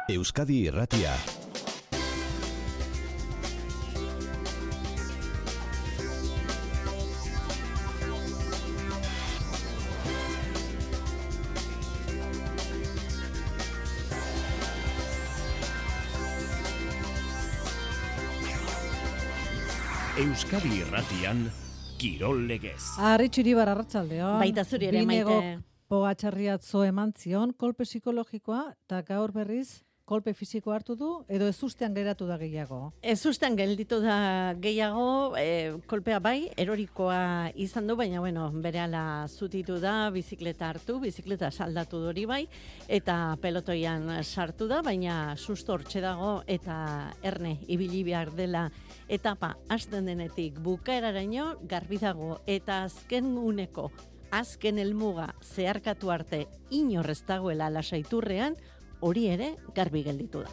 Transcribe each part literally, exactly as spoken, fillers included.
Euskadi Irratia. Euskadi Irratian Kirol Legez. Arritxu Iribar, arratsaldeon. Baita zuri ere, Maite. Pogatxarriatzo eman zion, kolpe psikologikoa, eta gaur berriz, kolpe fisiko hartu du, edo ezustean geratu da gehiago? Ezustean gelditu da gehiago, e, kolpea bai, erorikoa izan du, baina bueno, berehala zutitu da, bizikleta hartu, bizikleta saldatu dori bai, eta pelotoian sartu da, baina susto hortxe dago, eta erne, ibili behar dela etapa hasten denetik bukaeraraino garbi dago, eta azken uneko, azken helmuga zeharkatu arte inorrez dagoela lasaiturrean, hori ere garbi gelditu da.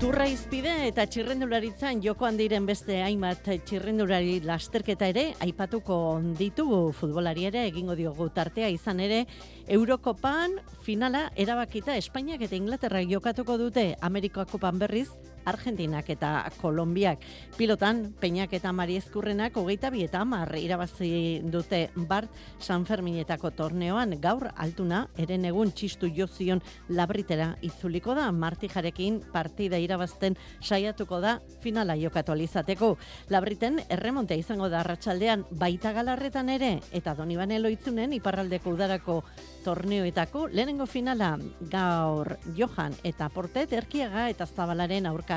Turra izpide eta txirrendularitzan jokoan diren beste hainbat txirrendulari lasterketa ere aipatuko ditugu, futbolari ere egingo diogu tartea, izan ere Eurokopan finala erabakita Espainiak eta Inglaterrak jokatuko dute, Amerika Kopan berriz Argentinak eta Kolonbiak. Pilotan, Peñak eta Mari Ezkurrenak hogeita bi eta hamar irabazi dute Bart San Ferminetako torneoan. Gaur altuna, eren egun txistu jozion Labritera itzuliko da, Martijarekin partida irabazten saiatuko da finala jokatu alizateko. Labriten erremontea izango da arratsaldean baita Galarretan ere, eta Donibane Loitzunen iparraldeko udarako torneoetako lehenengo finala gaur Johan eta Portet, Erkiaga eta Zabalaren aurka.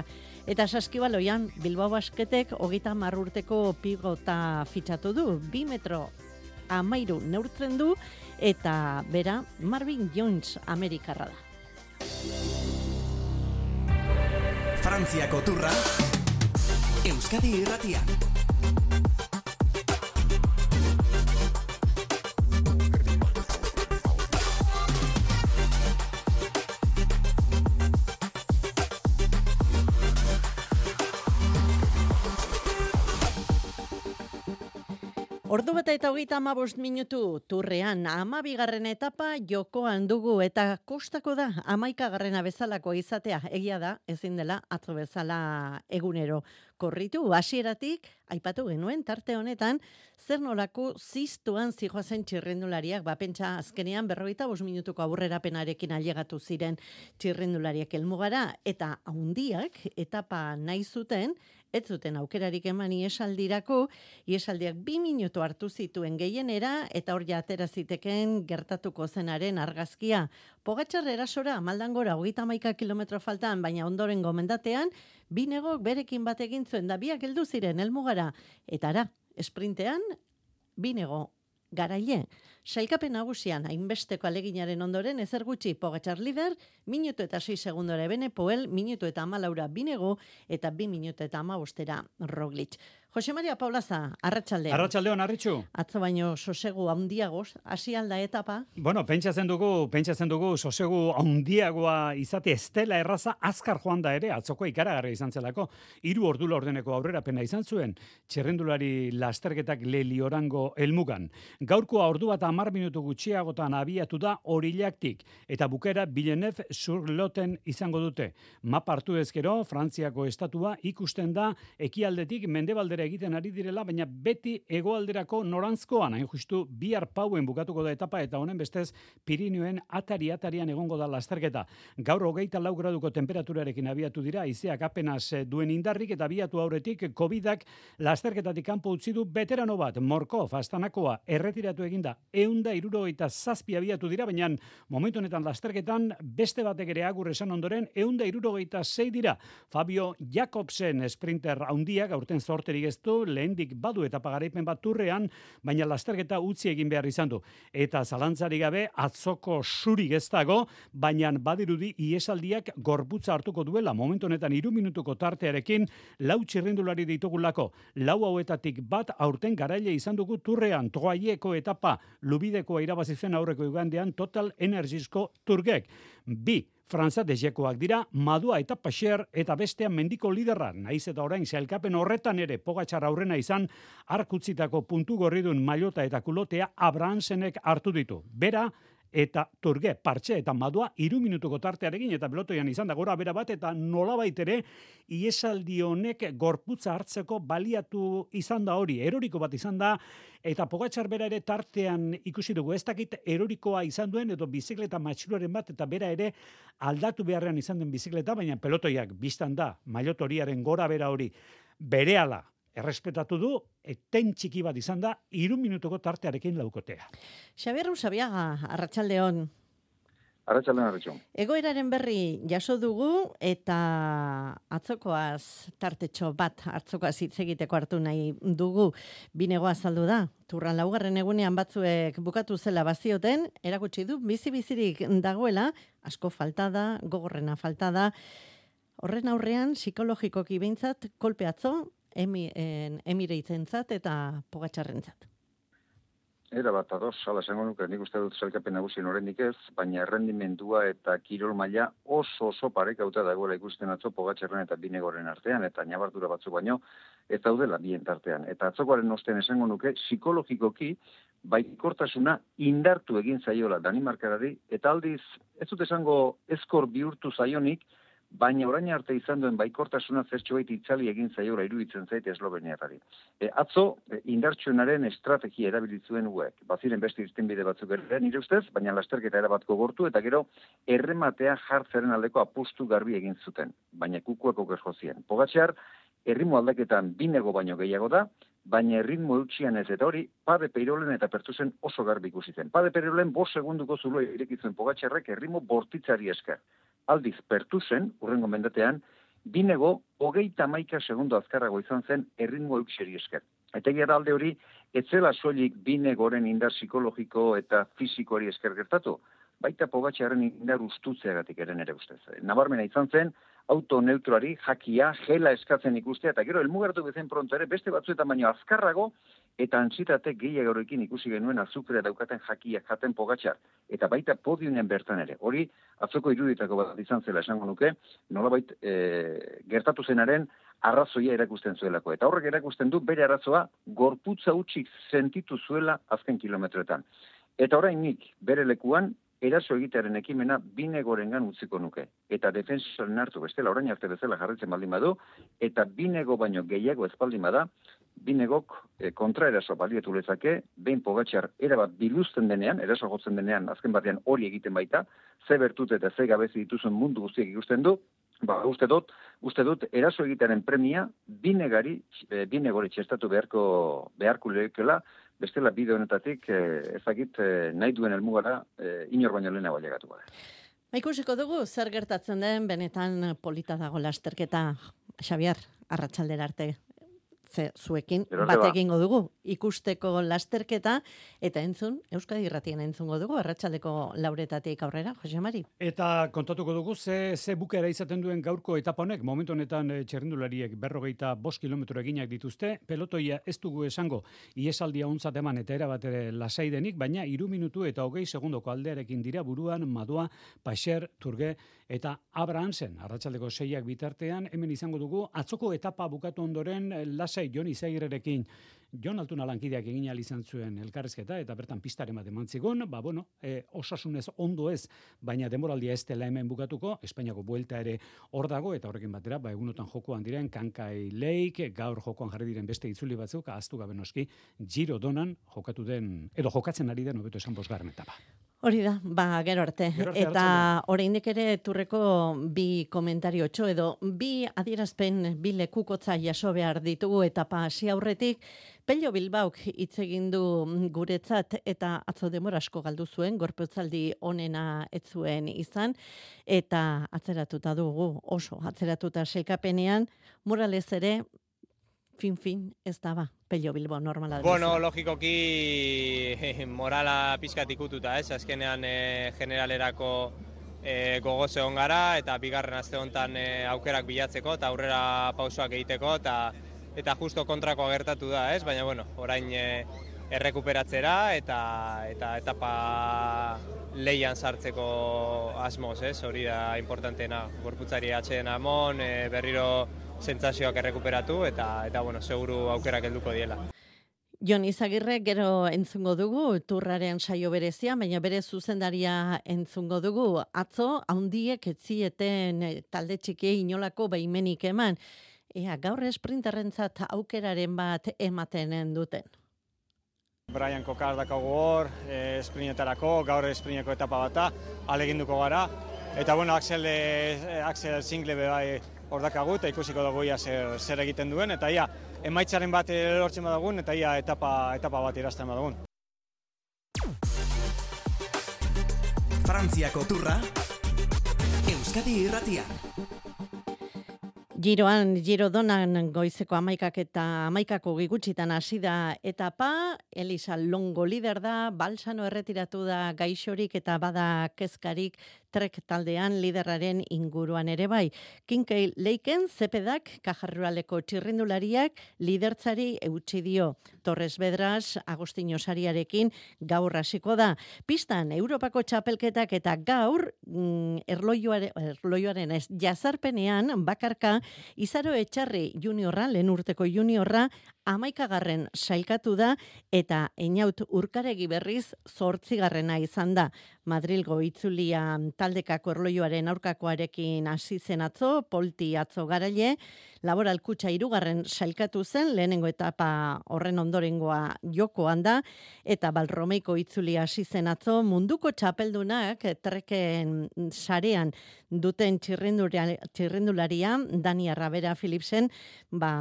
Eta saskibaloian Bilbao Basketek hogeita hamar urteko pigota fitxatu du, bi metro amairu neurtzen du, eta bera Marvin Jones Amerikarra da. Frantziako turra, Euskadi Irratian. Ordu bata eta hogeita hamabost minutu turrean hamabigarren etapa jokoan dugu, eta kostako da hamaikagarrena bezalako izatea. Egia da, ezin dela atzo bezala egunero korritu. Hasieratik aipatu genuen tarte honetan zer nolako ziztuan zijoazen txirrendulariak, ba pentsa azkenean berrogeita bost minutuko aurrerapenarekin ailegatu ziren txirrendulariak helmugara, eta haundiak etapa nahi zuten, ez zuten aukerarik eman iesaldirako, iesaldiak bi minutu hartu zituen gehienera, eta hor ja atera ziteken gertatuko zenaren argazkia. Pogatxar erasora, Maldangora, hogeita hamaika kilometro faltan, baina ondoren gomendatean, binegok berekin bat egin zuen, da biak heldu ziren helmugara, eta ara, esprintean, binego garaile. Sailkapen nagusian hainbesteko aleginaren ondoren ezer gutxi Pogatxar lider, minutu eta sei segundora Ebene Poel, minutu eta hamalaura Binego, eta bi minutu eta hamabostera Roglic. Jose Maria Paulaza, arratsaldeon. Arratsaldeon, Arritxu. Atzo baino sosegu handiagoz, hasi alda etapa. Bueno, pentsatzen dugu, pentsatzen dugu sosegu handiagoa izate estela erraza azkar joan da ere, atzoko ikaragarria izan zelako. Hiru ordu laurdeneko aurrerapena izan zuen, txirrendulari lasterketak Leliorango helmugan. Gaurkoa ordu bat hamar minutu gutxiagotan abiatu da Orilaktik, eta bukera Villeneuve sur Loten izango dute. Mapa hartu ezkero, Frantziako estatua ikusten da ekialdetik mendebaldera egiten ari direla, baina beti hegoalderako norantzkoan, hain justu bihar pauen bukatuko da etapa, eta honen bestez Pirinioen atari-atarian egongo da lasterketa. Gaur hogeita lau graduko temperaturarekin abiatu dira, haizeak apenas duen indarrik, eta abiatu aurretik Covidak lasterketatik kanpo utzi du veterano bat, Morkov, Astanakoa, erretiratu eginda, ehun eta hirurogeita zazpi abiatu dira, baina momentu honetan lasterketan beste batek ere agur esan ondoren ehun eta hirurogeita sei dira. Fabio Jakobsen sprinter handiak aurten zorterik ez du, lehendik badu etapa garaipen bat turrean, baina lasterketa utzi egin behar izan du. Eta zalantzari gabe atzoko surik ez dago, baina badirudi iesaldiak gorputza hartuko duela. Momentu honetan hiru minutuko tartearekin lau txirrendulari ditugulako. Lau hauetatik bat aurten garaile izan dugu turrean, Troaieko etapa, Lubidekoa irabazi zen aurreko igandean Total Energiesko Turgek. Bi Franza dejekoak dira, Madua eta Paxer, eta bestean mendiko liderra, naiz eta orain sailkapen horretan ere Pogatxar aurrena izan, arkutzitako puntu gorridun Maillota eta Kulotea Abramsenek hartu ditu. Bera, eta Turge, Partxe eta Madua hiru minutuko tartearekin eta pelotoian izan da gora bera bat eta nolabait ere iesaldi honek gorputza hartzeko baliatu izan da hori, eroriko bat izan da eta Pogačar bera ere tartean ikusi dugu, ez dakit erorikoa izan duen edo bizikleta matxuloren bat eta bera ere aldatu beharrean izan den bizikleta, baina pelotoiak biztan da, mailotoriaren gora bera hori berehala errespetatu du, eten txiki bat izan da, hiru minutuko tartearekin laukotea. Xabier Usabiaga, arratsaldeon. Arratsaldeon, arratsaldeon. Egoeraren berri jaso dugu eta atzokoaz tartetxo bat, atzokoaz hitz egiteko hartu nahi dugu. Binego azaldu da, turran laugarren egunean batzuek bukatu zela bazioten, erakutsi du bizi-bizirik dagoela, asko falta da, gogorrena falta da. Horren aurrean, psikologikoki behintzat, kolpe atzo, emi, en, emireitzentzat eta Pogačarrentzat. Era bat ados, hala esango nuke, nik uste dut sailkapen nagusien oraindik ez, baina errendimendua eta kirol maila oso oso parekauta dagoela ikusten atzo Pogačarren eta Binegoren artean, eta ñabardura batzuk baino, ez daudela bien tartean. Eta atzokoaren ostean esango nuke, psikologikoki, baikortasuna indartu egin zaiola Danimarkarari, eta aldiz, ez dut esango eskor bihurtu zaionik, baina orain arte izan duen baikortasuna zertxobait itzali egin zaiola iruditzen zait esloveniarrari. E, atzo, e, indartsuenaren estrategia erabilitzuen uek. Baziren beste irtenbide batzuk ere nire ustez, baina lasterketa erabatko gortu eta gero errematea jartzeren aldeko apustu garbi egin zuten. Baina kukuako gerjozien. Pogačar, erritmo aldaketan Binego baino gehiago da, baina erritmo eutxian ez eta hori, Pade Peirolen eta Pertusen oso garbi ikusi zen. Pade Peirolen bost segunduko zulo irekitzen Pogačarrek erritmo bortitzari esker. Aldiz, Pertusen, urrengo mendatean, Binego hogeita hamaika segundo azkarrago izan zen erritmo eutxeri esker. Eta egia alde hori, etzela soilik Binegoren indar psikologiko eta fizikoari esker gertatu, baita Pogačarren indar ustutzeagatik eren ere ustez. Nabarmena izan zen, auto neutroari, jakia, gela eskatzen ikustea, eta gero elmugartu bezen pronto ere, beste batzuetan baino azkarrago, eta antzitate gehiagorekin ikusi genuen azukrea daukaten jakia jaten Pogačar, eta baita podiunen bertan ere. Hori, atzoko iruditako bat izan zela esango nuke, nolabait e, gertatu zenaren arrazoia erakusten zuelako. Eta horrek erakusten du bere arrazoa gorputza utxik sentitu zuela azken kilometroetan. Eta orain nik bere lekuan, eraso egitearen ekimena Binegorengan utziko nuke. Eta defensoren hartu bestela orain arte bezala jarritzen baldin badu, eta Binego baino gehiago ez baldin bada, Binegok e, kontraeraso balietu lezake, behin Pogačar erabat biluzten denean, eraso jotzen denean, azken batean hori egiten baita, ze bertut eta ze gabezi dituzun mundu guztiek ikusten du, ba, uste dut, uste dut eraso egitearen premia Binegari, e, Binegori txestatu beharko, beharko lekeela, bestela bide honetatik eh, ezagit eh, nahi duen helmugara eh, inor baino lehenago ailegatu gara. Ba, ikusiko dugu zer gertatzen den benetan polita dago lasterketa, Xabier, arratsaldera arte. Ze zuekin bat egingo dugu ikusteko lasterketa eta entzun, Euskadi Irratien entzungo dugu, arratsaldeko lauretatik aurrera, Jose Mari. Eta kontatuko dugu ze, ze bukera izaten duen gaurko etapa honek, momentu honetan e, txerrendulariek berrogeita bost kilometro eginak dituzte, pelotoia ez dugu esango iesaldia ontzat eman eta erabat ere lasai denik, baina hiru minutu eta hogei segundoko aldearekin dira buruan Madua, Paixer, Turge eta Abrahamsen. Arratsaldeko seiak bitartean, hemen izango dugu, atzoko etapa bukatu ondoren lasai Jon Izagirrerekin Jon Altuna lankideak egin ahal izan zuen elkarrizketa eta bertan pistaren bat eman zigun, ba bueno, e, osasunez ondo ez, baina denboraldia ez dela hemen bukatuko, Espainiako buelta ere hor dago eta horrekin batera, ba egunotan jokoan diren Kankai Lake, gaur jokoan jarri diren beste itzuli batzuk, ahaztu gabe noski, Giro Donan jokatu den edo jokatzen ari den hobeto esan bosgarren etapa. Hori da, ba, gero arte. Gero arte eta oraindik ere turreko bi komentariotxo edo bi adierazpen bi lekukotza jaso behar ditugu etapa hasi aurretik. Pello Bilbauk hitz egin du guretzat eta atzo denbora asko galdu zuen, gorputzaldi onena ez zuen izan, eta atzeratuta dugu, oso atzeratuta sailkapenean, Morales ere, fin-fin ez da ba, Pello Bilbao normala. Bueno, logikoki morala pizkat ikututa, ez? Azkenean e, generalerako e, gogoz egon gara, eta bigarren aste honetan e, aukerak bilatzeko, eta aurrera pausoak egiteko, eta eta justo kontrakoa gertatu da, ez? Baina, bueno, orain e, errekuperatzera, eta eta etapa leian sartzeko asmoz, ez? Hori da importanteena, gorputzari atxeen amon, e, berriro sentsazioak errekuperatu eta eta bueno, seguru aukerak helduko diela. Jon Izagirre gero entzungo dugu turraren saio berezia, baina bere zuzendaria entzungo dugu. Atzo, haundiek etzieten talde txikiei inolako baimenik eman. Ea, gaur esprinterrentzat aukeraren bat ematen duten. Brian Kokar dakagu hor, e, esprintetarako, gaur esprineko etapa bata, aleginduko gara. Eta bueno, Axel, e, Axel Single bai hor dakagu, eta ikusiko dugu ia zer, zer egiten duen, eta ia emaitzaren bat lortzen badagun, eta ia etapa, etapa bat irazten badagun. Frantziako turra, Euskadi Irratian. Giroan, Girodonan goizeko amaikak eta amaikako gigutxitan hasi da etapa, Elisa Longo lider da, Balsano erretiratu da gaixorik eta bada kezkarik trek taldean liderraren inguruan ere bai. Kinkei Leiken, Zepedak, Kajarruraleko txirrindulariak lidertzari eutsi dio. Torres Bedras, Agostino Sariarekin gaur hasiko da. Pistan, Europako txapelketak eta gaur mm, erloioare, erloioaren ez, jazarpenean bakarka Izaro Etxarri juniorra, lehen urteko juniorra, amaikagarren sailkatu da eta Einaut Urkaregi berriz zortzigarrena izan da. Madrilgo itzulia taldekako erloioaren aurkakoarekin hasi zen atzo, Polti atzo garaile, Laboral Kutxa hirugarren sailkatu zen, lehenengo etapa horren ondorengoa jokoan da, eta Balromeiko itzulia hasi zen atzo, munduko txapeldunak treken sarean duten txirrindularia, Dani Arrabera Philipsen, ba,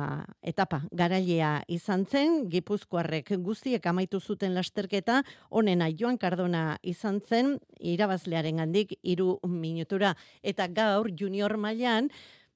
etapa garailea izan zen, Gipuzkoarrek guztiek amaitu zuten lasterketa, honena Joan Cardona izan zen, irabazlearen gandik hiru minutura. Eta gaur junior mailan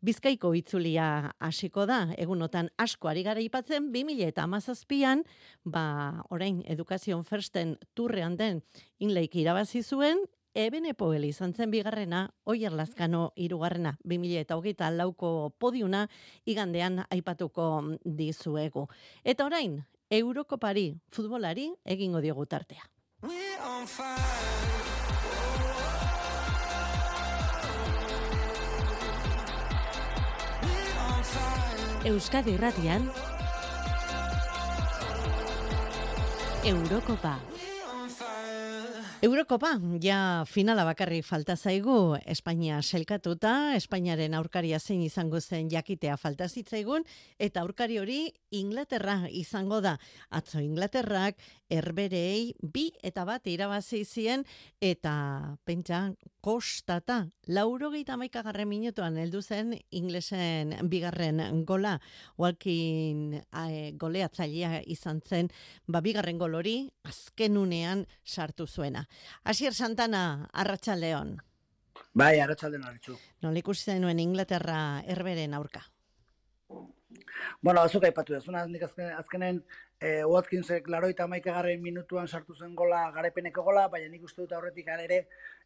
Bizkaiko itzulia hasiko da, egunotan asko ari gara ipatzen, bi mila hamazazpian, ba, orain Education Firsten turrean den Inleik irabazi zuen, Eben Epoel izan zen bigarrena, Oier Lazkano hirugarrena, bi mila hogeita lauko podiuna igandean aipatuko dizuegu. Eta orain, Eurokopari futbolari egingo diogu tartea. Euskadi Irratian Eurokopa. Eurokopa, ja finala bakarrik falta zaigu, Espainia selkatuta, Espainiaren aurkaria zein izango zen jakitea falta zitzaigun, eta aurkari hori Inglaterra izango da. Atzo Inglaterrak erberei bi eta bat irabazi zien, eta pentsa kostata, laurogeita hamaikagarren minutuan heldu zen inglesen bigarren gola, Walkin e, goleatzailea izan zen, ba bigarren gol hori azkenunean sartu zuena. Asier Santana, Arratsaldeon. Bai, Arratsaldeon Aritxu. Nola ikusi zenuen Inglaterra erberen aurka? Bueno, azuk aipatu da, zuna nik azken, azkenen eh, Watkinsek laroita hamaikagarren minutuan sartu zen gola, garaipeneko gola, baina nik uste dut aurretik ere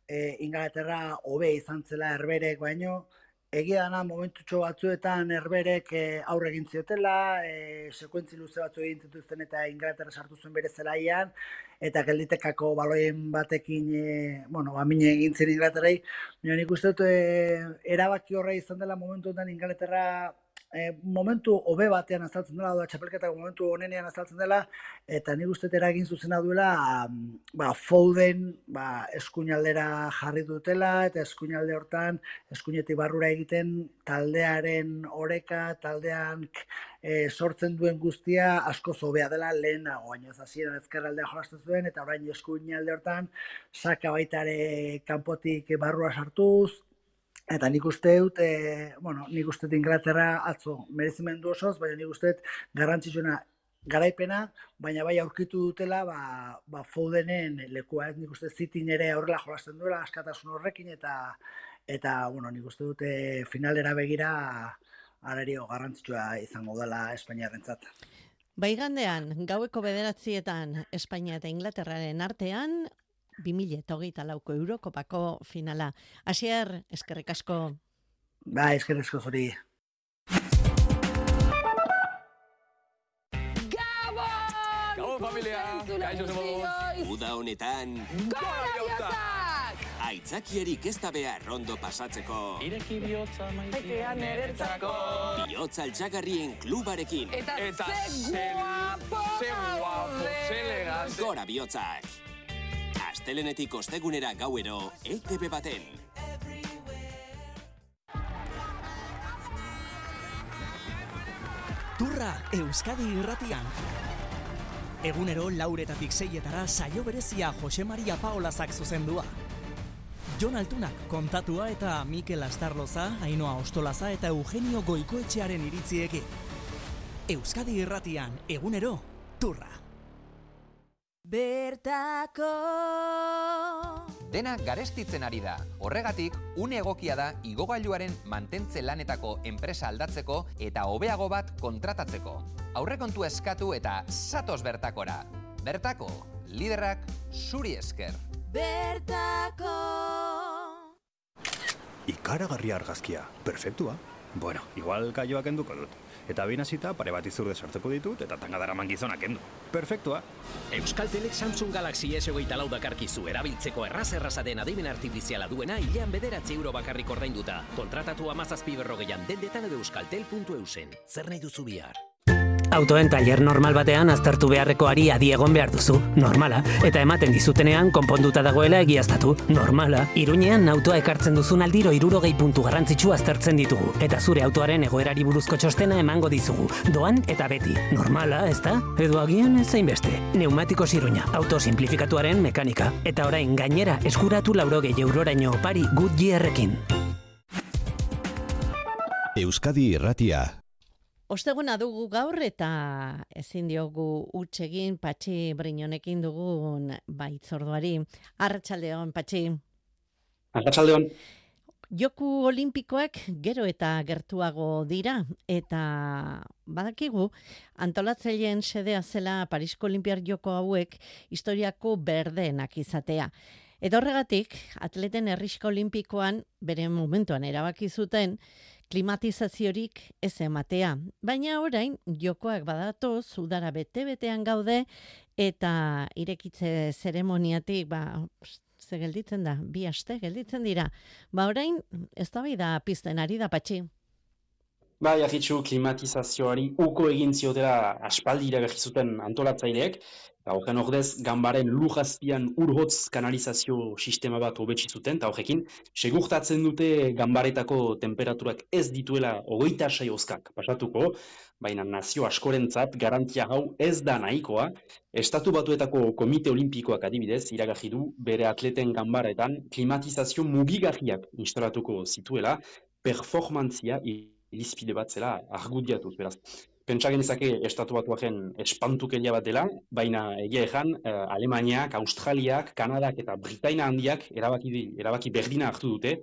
eh, Inglaterra hobe izan zela erberek, baino egia dana momentutxo batzuetan erberek eh, aurre egin ziotela, eh, sekuentzi luze batzu egin zituzten eta Inglaterra sartu zuen bere zelaian, eta gelditekako baloien batekin, eh, bueno, amine egin zen Inglaterrai, baina nik uste dut eh, erabaki horre izan dela momentu honetan Inglaterra E, momentu hobe batean azaltzen dela, da txapelketako momentu honenean azaltzen dela, eta nik uste eragin zuzena duela, ba, Foden ba, eskuinaldera jarri dutela, eta eskuinalde hortan, eskuinetik barrura egiten taldearen oreka, taldean e, sortzen duen guztia asko hobea dela lehenago, baina hasieran ezkerraldea jolasten zuen, eta orain eskuinalde hortan, saka baitare kanpotik barrura sartuz. Eta nik uste dut, e, bueno, nik uste dut Inglaterra atzo merezimendu osoz, baina nik uste dut garrantzitsuena garaipena, baina bai aurkitu dutela, ba, ba Fodenen lekua, nik uste Cityn ere aurrela jolasten duela, askatasun horrekin, eta, eta bueno, nik uste dut e, finalera begira arario garrantzitsua izango dela Espainiarrentzat. Baigandean, gaueko bederatzietan Espainia eta Inglaterraren artean, bi mila hogeita lauko Eurokopako finala. Asier, eskerrik asko. Ba, eskerrik asko zuri. Gabon, familia! Kaixo zemoduz! Uda honetan... Gora jozak! Aitzakierik ez da behar ondo pasatzeko. Ireki bihotza maitea niretzako. Bihotza altxagarrien klubarekin. Eta, Eta ze guapo, ze guapo, ze elegante. Gora bihotzak. Astelenetik ostegunera gauero, E T B baten. Turra Euskadi irratian. Egunero lauretatik seietara saio berezia Jose Maria Paolazak zuzendua. Jon Altunak kontatua eta Mikel Astarloza, Ainhoa Ostolaza eta Eugenio Goikoetxearen iritziekin. Euskadi irratian, egunero, Turra. Bertako Dena garestitzen ari da. Horregatik, une egokia da igogailuaren mantentze lanetako enpresa aldatzeko eta hobeago bat kontratatzeko. Aurrekontu eskatu eta zatoz bertakora. Bertako, liderrak zuri esker. Bertako Ikaragarri argazkia, perfektua. Bueno, igual kaioak enduko dut. Eta binazita pare bat izurde sartzeko ditut eta tangadaraman gizonak endu. Perfektua. Euskaltelek Samsung Galaxy S hogeita lau dakarkizu erabiltzeko erraz-erraza den adimen artifiziala duena hilean bederatzi euro bakarrik ordainduta. Kontratatu hamazazpi berrogeian dendetan edo euskaltel puntu eusen. Zer nahi duzu bihar? Autoen tailer normal batean aztertu beharreko ari adi egon behar duzu, normala, eta ematen dizutenean konponduta dagoela egiaztatu, normala. Iruñean autoa ekartzen duzun aldiro hirurogei puntu garrantzitsu aztertzen ditugu, eta zure autoaren egoerari buruzko txostena emango dizugu, doan eta beti, normala, ezta? Edo agian ezain beste. Neumatikos Iruña, auto simplifikatuaren mekanika, eta orain gainera eskuratu laurogei euroraino opari Goodyearrekin. Euskadi irratia. Osteguna dugu gaur eta ezin diogu huts egin Patxi Briñonekin dugun baitzorduari. Arratsaldeon, Patxi. Arratsaldeon. Joku olimpikoak gero eta gertuago dira eta badakigu antolatzaileen xedea zela Parisko Olinpiar Joko hauek historiako berdeenak izatea. Eta horregatik, atleten herrixka olimpikoan bere momentuan erabaki zuten klimatizaziorik ez ematea. Baina orain, jokoak badatoz, udara bete-betean gaude, eta irekitze zeremoniatik, ba, ze gelditzen da, bi aste gelditzen dira. Ba orain, ez da bai da pizten ari da, Patxi. Ba, jarritxu klimatizazioari uko egin ziotela aspaldi iragarri zuten antolatzaileek, eta horren ordez, ganbaren lujazpian urhotz kanalizazio sistema bat hobetsi zuten, eta horrekin, segurtatzen dute ganbaretako temperaturak ez dituela hogeita sei oskak pasatuko, baina nazio askorentzat garantia hau ez da nahikoa. Estatu Batuetako Komite Olimpikoak adibidez, iragarri du bere atleten ganbaretan klimatizazio mugigarriak instalatuko zituela, performantzia irizpide bat zela argudiatuz, beraz. Pentsa genezake Estatu Batuaren espantukeria bat dela, baina egia ejan, eh, Alemaniak, Australiak, Kanadak eta Britaina handiak erabaki, erabaki berdina hartu dute,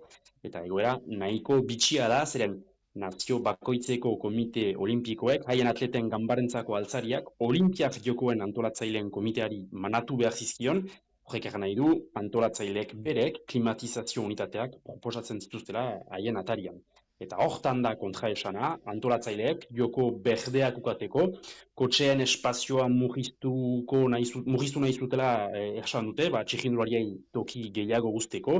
eta egoera nahiko bitxia da, zeren nazio bakoitzeko komite olimpikoek, haien atleten ganbarentzako altzariak, olimpiak jokoen antolatzaileen komiteari manatu behar zizkion, horrek egan nahi du, antolatzaileek berek klimatizazio unitateak proposatzen zituztela haien atarian. Eta hortan da kontraesana, antolatzaileek joko berdeak ukateko, kotxeen espazioa murriztuko nahi, murriztu nahi zutela eh, ersan dute, ba, txirrindulariei toki gehiago guzteko,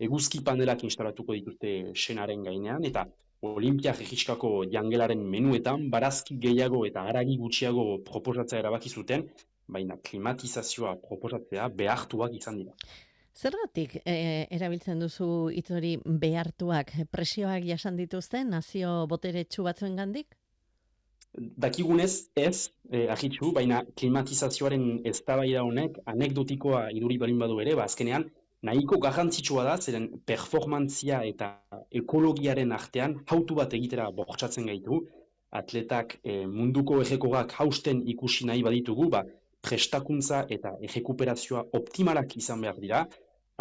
eguzki panelak instalatuko dituzte senaren gainean, eta Olimpiak egiskako jangelaren menuetan, barazki gehiago eta haragi gutxiago proposatzea erabaki zuten, baina klimatizazioa proposatzea behartuak izan dira. Zergatik e, erabiltzen duzu hitz hori behartuak, presioak jasan dituzten nazio boteretsu batzuengandik? Dakigunez ez, eh, ahitsu, baina klimatizazioaren eztabaida honek anekdotikoa iduri balin badu ere, ba azkenean nahiko garrantzitsua da, zeren performantzia eta ekologiaren artean hautu bat egitera bortxatzen gaitu, atletak eh, munduko ejekorak hausten ikusi nahi baditugu, ba, prestakuntza eta ejekuperazioa optimalak izan behar dira.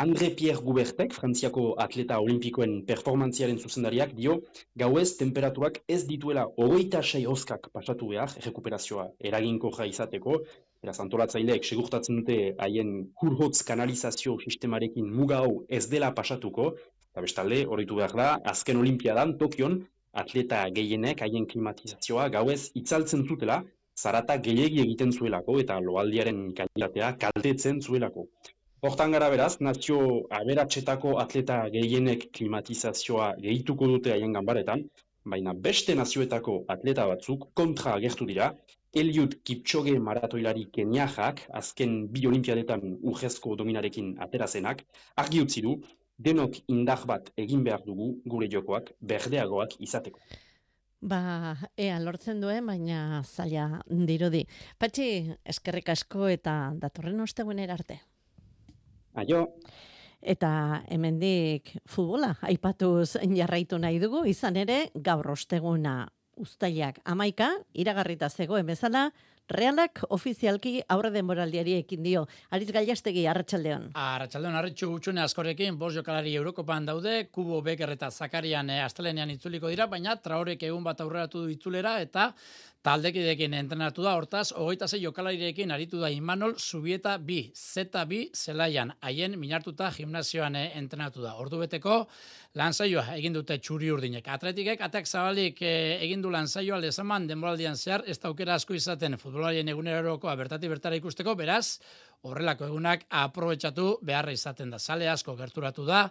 André-Pierre Goubertek, Frantziako atleta olimpikoen performantziaren zuzendariak, dio, gauez temperaturak ez dituela hogeita sei oskak pasatu behar, ejekuperazioa eraginkorra izateko, beraz antolatzaileek segurtatzen dute haien kurhotz kanalizazio sistemarekin muga hau ez dela pasatuko, eta bestalde, horretu behar da, azken olimpiadan, Tokion, atleta gehienek haien klimatizazioa gauez itzaltzen zutela, zarata gehiegi egiten zuelako eta loaldiaren kalitatea kaltetzen zuelako. Hortan gara beraz, nazio aberatsetako atleta gehienek klimatizazioa gehituko dute haien ganbaretan, baina beste nazioetako atleta batzuk kontra agertu dira. Eliud Kipchoge maratoilari keniajak, azken bi olimpiadetan urrezko dominarekin aterazenak, argi utzi du, denok indar bat egin behar dugu gure jokoak berdeagoak izateko. Ba, ea lortzen duen, baina zaila dirudi. Patxi, eskerrik asko eta datorren ostegunera arte. Aio. Eta hemendik futbola aipatuz jarraitu nahi dugu, izan ere gaur osteguna uztailak hamaika, iragarrita zegoen bezala, Realak ofizialki aurre denboraldiari ekin dio. Aritz Gailastegi, arratsaldeon. Arratsaldeon, arritxu gutxune askorekin, bost jokalari Eurokopan daude, Kubo, Beker eta Zakarian e, astelenean itzuliko dira, baina Traorek egun bat aurreratu du itzulera eta taldekideekin entrenatu da, hortaz, hogeita sei jokalarirekin aritu da Imanol Zubieta bi, Zeta bi zelaian, haien minartuta gimnasioan e, entrenatu da. Ordu beteko lansaioa egin dute txuri urdinek. Atletikek atak zabalik e, egin du lansaioa lezaman denboraldian zehar, ez da aukera asko izaten futbolarien egunerokoa bertati bertara ikusteko, beraz, horrelako egunak aprobetxatu beharra izaten da. Sale asko gerturatu da,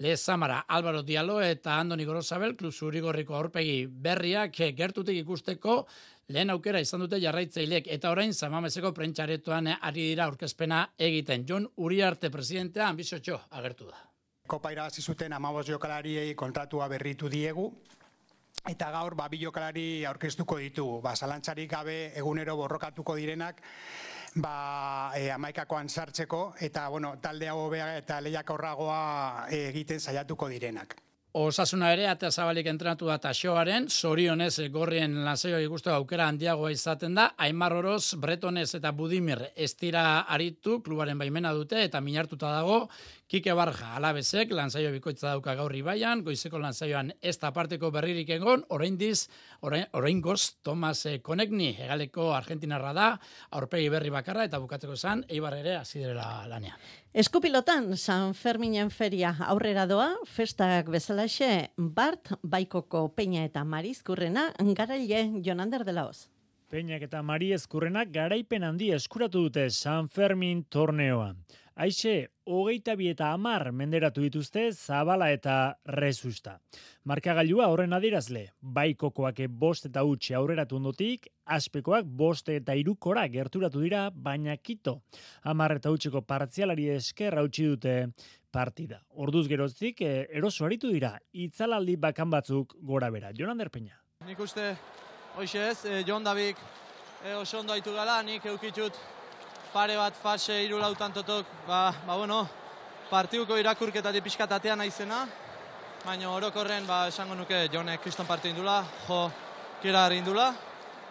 Lezamara, Álvaro Diallo eta Andoni Gorosabel, klub zurigorriko aurpegi berriak gertutik ikusteko, lehen aukera izan dute jarraitzailek, eta orain Samameseko prentxaretoan ari dira aurkezpena egiten. Jon Uriarte presidentea anbiziotxo agertu da. Kopa irabazi zuten hamabost jokalariei kontratua berritu diegu, eta gaur ba, bi jokalari aurkeztuko ditugu. Ba, zalantzarik gabe egunero borrokatuko direnak, ba, e, amaikakoan sartzeko, eta bueno, talde hau hobea eta lehiakorragoa egiten saiatuko direnak. Osasuna ere, atea zabalik entrenatu da Taxoaren, zorionez gorrien lanzaioa ikusteko aukera handiagoa izaten da, Aimar Oroz, Bretonez eta Budimir ez dira aritu, klubaren baimena dute eta minartuta dago, Kike Barja Alabezek, lanzaio bikoitza dauka gaur Ibaian, goizeko lanzaioan ez da parteko berririk egon, oraindiz, oraingoz, Tomas Konekni, hegaleko argentinarra da, aurpegi berri bakarra eta bukatzeko esan, Eibar ere hasi direla lanean. Eskupilotan, San Ferminen feria aurrera doa, festak bezalaxe, Bart, Baikoko, Peña eta Marizkurrena, garaile Jonander de la Hoz. Peñak eta Marizkurrenak garaipen handi eskuratu dute San Fermin torneoa. Aixe, hogeita bi eta hamar menderatu dituzte Zabala eta Rezusta. Markagailua horren adierazle, Baikokoak bost eta utxe aurreratu ondotik, Azpekoak bost eta irukora gerturatu dira, baina kito. Hamar eta utxeko partzialari esker hautsi dute partida. Orduz geroztik, eroso aritu dira, itzalaldi bakan batzuk gora bera. Jonander Peña. Nik uste, hoxe ez, Jon Dabik oso ondo haitu gala, nik eukitut pare bat fase irulautan totok, ba, ba bueno, partiduko irakurketatik pixkatatean naizena, baina orokorren, ba, esango nuke Jonek kriston partiu indula, jo, kira indula,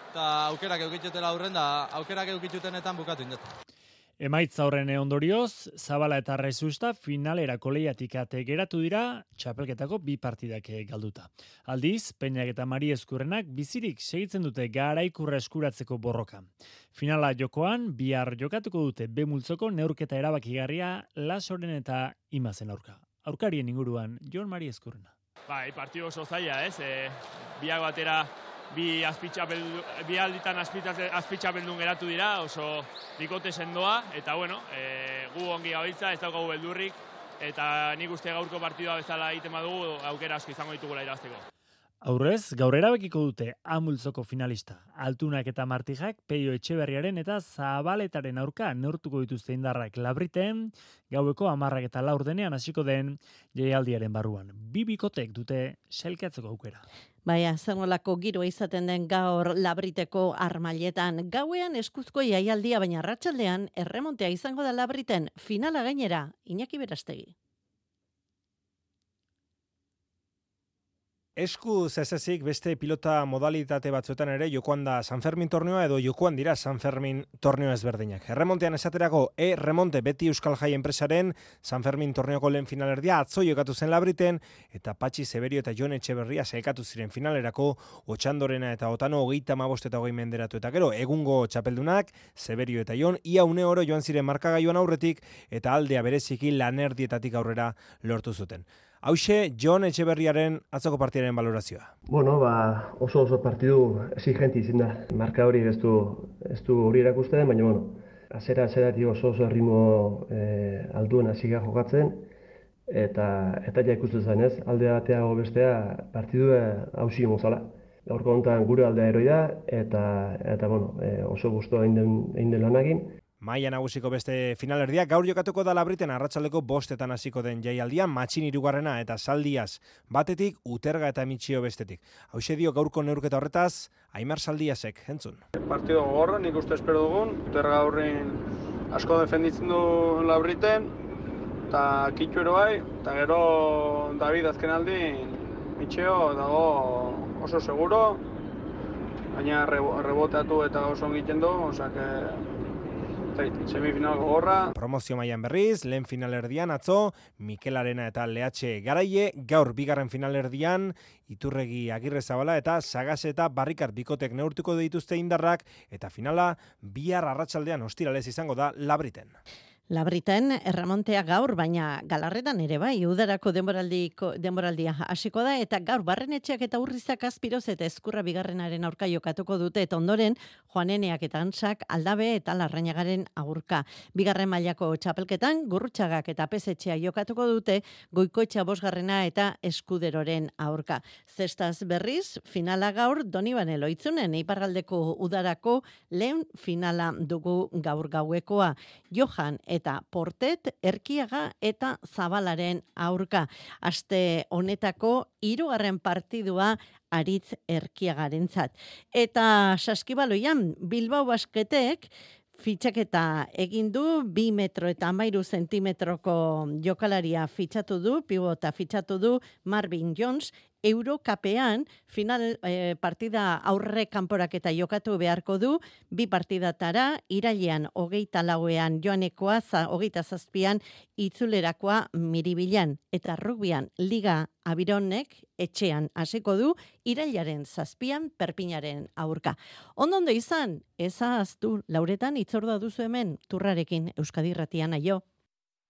eta aukerak eukitutela aurren, da aukerak eukitutenetan bukatu indet. Emaitza horren ondorioz, Zabala eta Rezusta finalerako lehiatik ate geratu dira, txapelketako bi partidak galduta. Aldiz, Peñak eta Mariezkurrenak bizirik segitzen dute garaikurra eskuratzeko borroka. Finala jokoan, bihar jokatuko dute B-multzoko neurketa erabakigarria Lasoren eta Imazen aurka. Aurkarien inguruan, Jon Mariezkurrena. Bai, partidu oso zaila, ez? E, biak batera bi bi alditan azpitxapeldun geratu dira, oso bikote sendoa, eta bueno, e, gu ongi gabiltza, ez daukagu beldurrik, eta nik uste gaurko partidua bezala egiten badugu, aukera asko izango ditugula irabazteko. Aurrez, gaur erabakiko dute A-multzoko finalista. Altunak eta Martijak, Peio Etxeberriaren eta Zabaletaren aurka neurtuko dituzte indarrak Labriten, gaueko hamarrak eta laur denean hasiko den jaialdiaren barruan. Bi bikotek dute sailkatzeko aukera. Baina, zengolako giroa izaten den gaur Labriteko Armailetan. Gauean eskuzko jaialdia, baina arratsaldean erremontea izango da Labriten. Finala gainera, Iñaki Berastegi. Esku zezezik beste pilota modalitate batzuetan ere jokoan da San Fermin torneoa edo jokoan dira San Fermin torneo ezberdinak. Erremontean esaterako E-Remonte beti Euskal Jai enpresaren San Fermin torneoko lehen finalerdia atzo jokatu zen Labriten eta Patxi Zeberio eta Jon Etxeberria sailkatu ziren finalerako Otxandorena eta Otano hogeita hamabost eta hogei menderatu eta gero egungo txapeldunak Zeberio eta Jon ia une oro joan ziren markagailuan aurretik eta aldea bereziki lanerdietatik aurrera lortu zuten. Hauxe, Jon Etxeberriaren atzoko partidaren valorazioa. Bueno, ba, oso oso partidu exigenti izin da. Marka hori ez du, ez du hori erakusten, baina bueno, Azera, azeratik oso oso erritmo e, alduen hasi gara jokatzen, eta eta ja ikusten zen, ez? Alde bateago bestea partidua hausi mozala. Gaurko honetan gure aldea eroi da, eta, eta bueno, e, oso gustu egin den, egin den lanagin. Maia nagusiko beste finalerdia, gaur jokatuko da Labriten arratsaldeko bostetan hasiko den jaialdia, Matxin hirugarrena eta Saldiaz batetik, Uterga eta Mitxio bestetik. Hauxe dio gaurko neurketa horretaz, Aimar Saldiazek, entzun. Partido gogorra, nik uste espero dugun, Uterga horrein asko defenditzen du Labriten, eta Kitxu ero bai, eta gero David azken aldin, Mitxio dago oso seguro, baina reboteatu eta oso egiten du, osea semifinal gogorra. Promozio mailan berriz, lehen finalerdian atzo, Mikel Arena eta Lehatxe Garaie, gaur bigarren finalerdian, Iturregi Agirrezabala eta Sagas eta Barrikar bikotek neurtuko dituzte indarrak, eta finala bihar arratsaldean ostiralez izango da Labriten. Labriten erremontea gaur, baina Galarretan ere bai, udarako denboraldia hasiko da, eta gaur Barrenetxeak eta Urrizak Azpiroz eta Ezkurra bigarrenaren aurka jokatuko dute, eta ondoren Joaneneak eta Antsak Aldabe eta Larrañagaren aurka. Bigarren mailako txapelketan Gurrutxagak eta Pesetxea jokatuko dute, Goikoetxea bosgarrena eta Eskuderoren aurka. Zestaz berriz, finala gaur Donibane Loitzunen, iparraldeko udarako lehen finala dugu gaur gauekoa. Johan eta Portet, Erkiaga eta Zabalaren aurka. Aste honetako hirugarren partidua Aritz Erkiagarentzat. Eta Saskibaloian Bilbao Basketek fitxaketa egin du, bi metro eta hamairu zentimetroko jokalaria fitxatu du, pibota fitxatu du Marvin Jones, Eurokapean final eh, partida aurre kanporaketa jokatu beharko du, bi partidatara, irailean hogeita lauean joanekoa, za, hogeita zazpian itzulerakoa Miribilan, eta rugbian Liga Abironek etxean hasiko du, irailaren zazpian Perpinaren aurka. Ondo ondo izan, ezaztu, Lauretan itzordua duzu hemen, Turrarekin Euskadi Irratian aio.